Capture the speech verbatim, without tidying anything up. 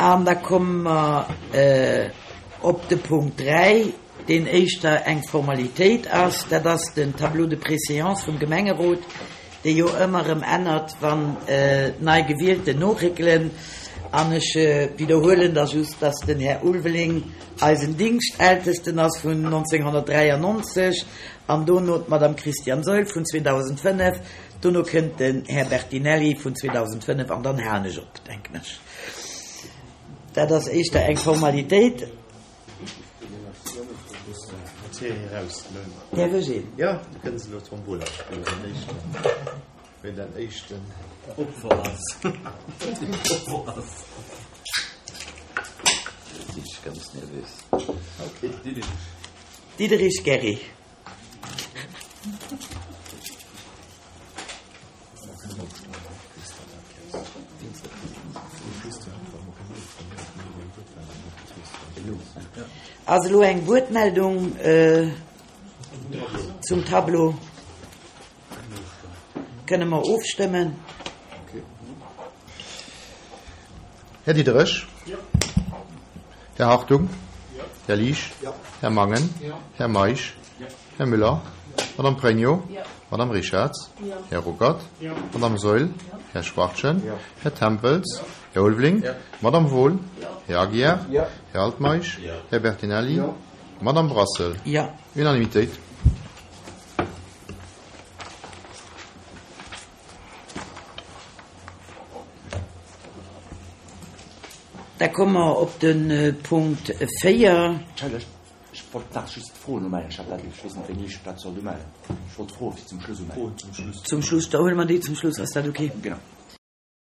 An da komme mer op de Punkt dräi, deen éischter eng Formalitéit ass. Dat ass den Tableau de préséance vum Gemengerot, dee jo ëmmer erëm ännert, wann nei Gewielten noréckelen. An ech widderhuelen da just, dass den Här Ulveling eisen Dingschteltesten ass vun nonzénghonnertdräiannonzeg an dono d'Madame Christiane Saeul vun zweedausendfënnef. Dono kënnt den Här Bertinelli vun zweedausendfënnef an dann halen ech op, denken ech. Dat ass éischter eng Formalitéit. Däerf ech een? Jo, du kënns elo Tombola spillen, den éischten, wien den éischten Opfer ass. Opfer ass. Elo sinn ech ganz nervös. Okay, Diderich. Diderich Gerry. Ass elo eng Wuertmeldung zum Tableau? Kënne mer ofstëmmen? Här Diderich? Här Hartung? Här Liesch? Här Mangen? Här Meisch? Här Müller? Madame Pregno? Madame Richarz? Här Ruckert? Madame Saeul? Här Schwachtgen? Här Tempels? Här Ulveling? Madame Wohl? Här Aguiar? Här Altmeisch? Här Bertinelli? Madame Brassel? Jo. Unanimitéit. Da komme mer op de Punkt véier. Entschëllegt, ech wollt nach just d'Froen umellen. Ech hat dat, ech weess net, wéini ech dat soll umellen. Ech wollt d'Froe fir zum Schluss umellen. Zum Schluss, da huele mer déi zum Schluss. Ass dat okay? Genau.